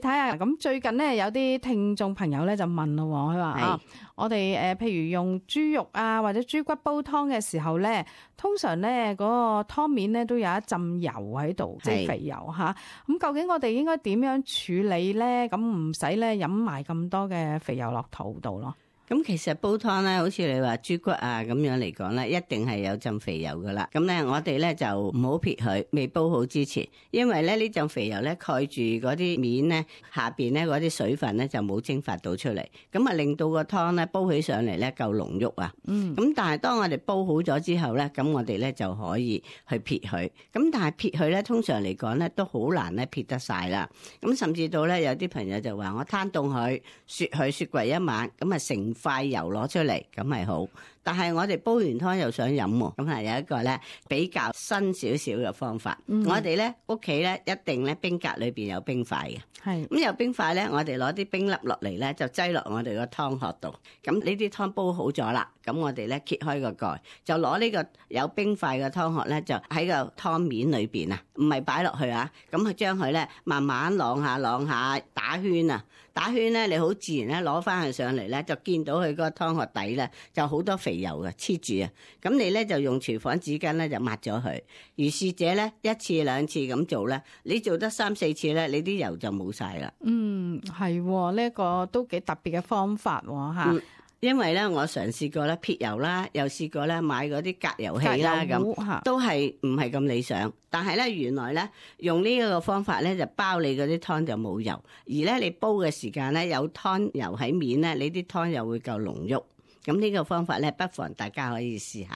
睇下咁最近咧有啲聽眾朋友咧就問咯，佢話啊，我哋譬如用豬肉啊或者豬骨煲湯嘅時候咧，通常咧嗰個湯面咧都有一浸油喺度，即係肥油嚇。咁究竟我哋應該點樣處理咧？咁唔使咧飲埋咁多嘅肥油落肚度咯。咁其實煲湯咧，好似你話豬骨啊咁樣嚟講咧，一定係有浸肥油噶啦。咁咧，我哋咧就唔好撇佢，未煲好之前，因為咧呢浸肥油咧蓋住嗰啲面咧下邊咧嗰啲水分咧就冇蒸發到出嚟，咁啊令到個湯咧煲起上嚟咧夠濃郁啊。咁但係當我哋煲好咗之後咧，咁我哋咧就可以去撇佢。咁但係撇佢咧，通常嚟講咧都好難咧撇得晒啦。咁甚至到咧有啲朋友就話我攤凍佢，雪櫃一晚，咁啊成塊油攞出嚟，咁係好。但係我哋煲完湯又想飲喎，咁係有一個咧比較新少少嘅方法。我哋咧屋企咧一定咧冰格裏邊有冰塊嘅，係咁有冰塊咧，我哋攞啲冰粒落嚟咧，就擠落我哋個湯殼度。咁呢啲湯煲好咗啦，咁我哋咧揭開個蓋，就攞呢個有冰塊嘅湯殼咧，就喺個湯面裏邊啊，唔係擺落去啊，咁去將佢咧慢慢啷下打圈啊，打圈咧你好自然咧攞翻佢上嚟咧，就見到佢嗰個湯殼底咧就好多肥油嘅黐住啊，咁你咧就用廚房紙巾咧就抹咗佢。如是者咧一次兩次咁做咧，你做得3、4次咧，你啲油就冇晒啦。係呢一個都幾特別嘅方法吓。因為咧，我嘗試過咧撇油啦，又試過咧買嗰啲隔油器啦，咁都係唔係咁理想。但係咧，原來咧用呢一個方法咧，就包你嗰啲湯就冇油，而咧你煲嘅時間咧有湯油喺面咧，你啲湯又會夠濃郁。咁呢個方法咧，不妨大家可以試下。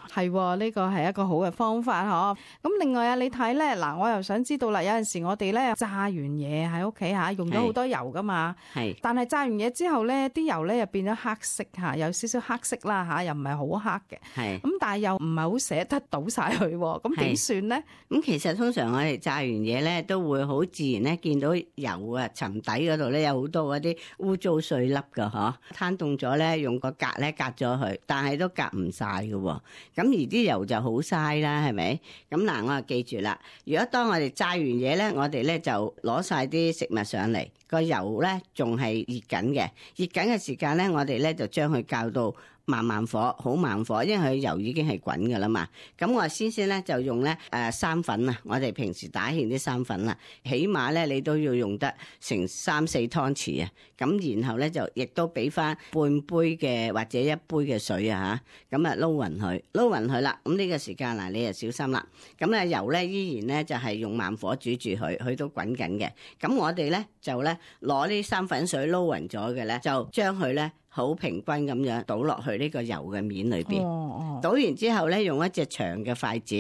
係呢個係一個好嘅方法嗬。咁另外啊，你睇咧嗱，我又想知道啦，有陣時我哋咧炸完嘢喺屋企吓，用咗好多油噶嘛。係。但係炸完嘢之後咧，啲油咧又變咗黑色吓，有少少黑色啦吓，又唔係好黑嘅。係。咁但係又唔係好捨得倒晒佢，咁點算咧？咁其實通常我哋炸完嘢咧，都會好自然咧見到油啊沉底嗰度咧有好多嗰啲污糟碎粒噶嗬。攤凍咗咧，用個隔咧隔咗佢，但係都隔唔晒嘅喎。咁而啲油就好嘥啦，係咪？咁嗱，我就記住啦。如果當我哋炸完嘢咧，我哋咧就攞晒啲食物上嚟，個油咧仲係熱緊嘅，熱緊嘅時間咧，我哋咧就將佢校到慢火，好慢火，因為佢油已經係滾噶啦嘛。咁我先咧就用咧生粉啊，我哋平時打芡啲生粉啦，起碼咧你都要用得成3、4湯匙啊。咁然後咧就亦都俾翻半杯嘅或者1杯嘅水啊吓，咁啊撈勻佢啦。咁呢個時間嗱，你就小心啦。咁咧油咧依然咧就係用慢火煮住佢，佢都滾緊嘅。咁我哋咧就咧攞啲生粉水撈勻咗嘅咧，就將佢咧好平均咁樣倒落去呢個油嘅面裏邊。倒完之後咧，用一隻長嘅筷子，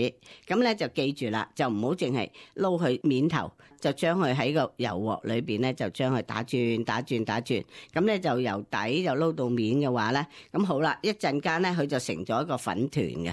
咁咧就記住啦，就唔好淨係撈佢面頭，就將佢喺個油鑊裏邊咧，就將佢打轉，咁咧就由底就撈到面嘅話咧，咁好啦，一陣間咧佢就成咗一個粉團嘅。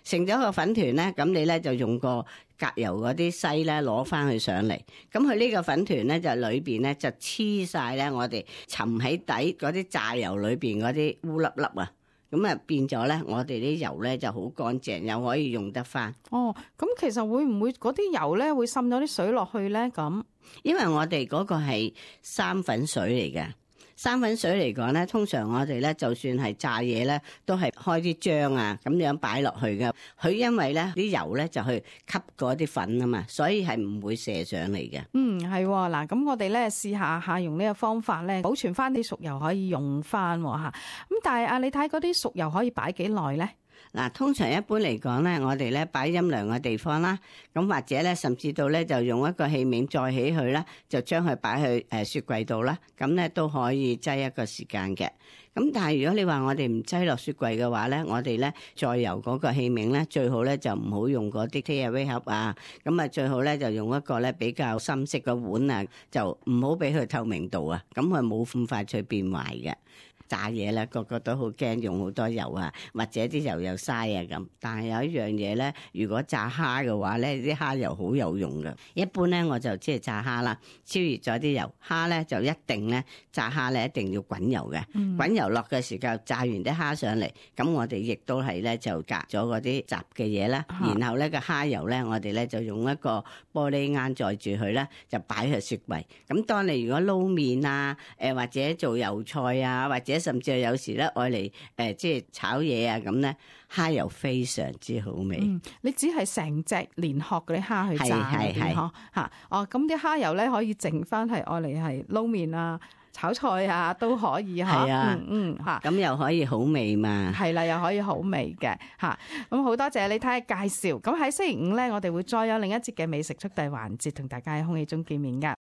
成咗個粉團咧，咁你咧就用個隔油嗰啲篩咧攞翻去上嚟，咁佢呢個粉團咧就裏邊咧就黐晒咧我哋沉喺底嗰啲炸油裏邊嗰啲烏粒粒啊，咁啊變咗咧我哋啲油咧就好乾淨，又可以用得翻。咁其實會唔會嗰啲油咧會滲咗啲水落去咧？咁因為我哋嗰個係生粉水嚟嘅。生粉水嚟講咧，通常我哋咧就算係炸嘢咧，都係開啲漿啊咁樣擺落去嘅。佢因為咧啲油咧就去吸嗰啲粉啊嘛，所以係唔會射上嚟嘅。係嗱，咁我哋咧試下用呢個方法咧，保存翻啲熟油可以用翻吓。咁但係你睇嗰啲熟油可以擺幾耐咧？嗱，通常一般嚟講咧，我哋咧擺陰涼嘅地方啦，咁或者咧甚至到咧就用一個器皿載起佢啦，就將佢擺去雪櫃度啦，咁咧都可以擠一個時間嘅。咁但係如果你話我哋唔擠落雪櫃嘅話咧，我哋咧再由嗰個器皿咧，最好咧就唔好用嗰啲 take away 盒啊，咁啊最好咧就用一個咧比較深色嘅碗啊，就唔好俾佢透明度啊，咁佢冇咁快脆變壞嘅。炸嘢咧，個個都好驚用好多油啊，或者啲油又嘥啊咁。但係有一樣嘢咧，如果炸蝦嘅話咧，啲蝦油好有用嘅。一般咧我就即係炸蝦啦，超熱咗啲油，蝦咧就一定咧炸蝦咧一定要滾油嘅，滾油落嘅時候炸完啲蝦上嚟，咁我哋亦都係咧就隔咗嗰啲雜嘅嘢啦，然後咧個蝦油咧我哋咧就用一個玻璃罌載住佢咧，就擺去雪櫃。咁當你如果撈麵啊，或者做油菜啊，或者甚至係有時咧愛嚟即係炒嘢啊咁咧，蝦油非常之好味。你只係成隻連殼嗰啲蝦去炸嗰啲嗬嚇，哦咁啲蝦油咧可以剩翻係愛嚟係撈麵啊、炒菜啊都可以嚇。係啊，嚇，咁又可以好味嘛。係啦，又可以好味嘅嚇。咁好多謝你睇下介紹。咁喺星期五咧，我哋會再有另一節嘅美食速遞環節，同大家喺空氣中見面㗎。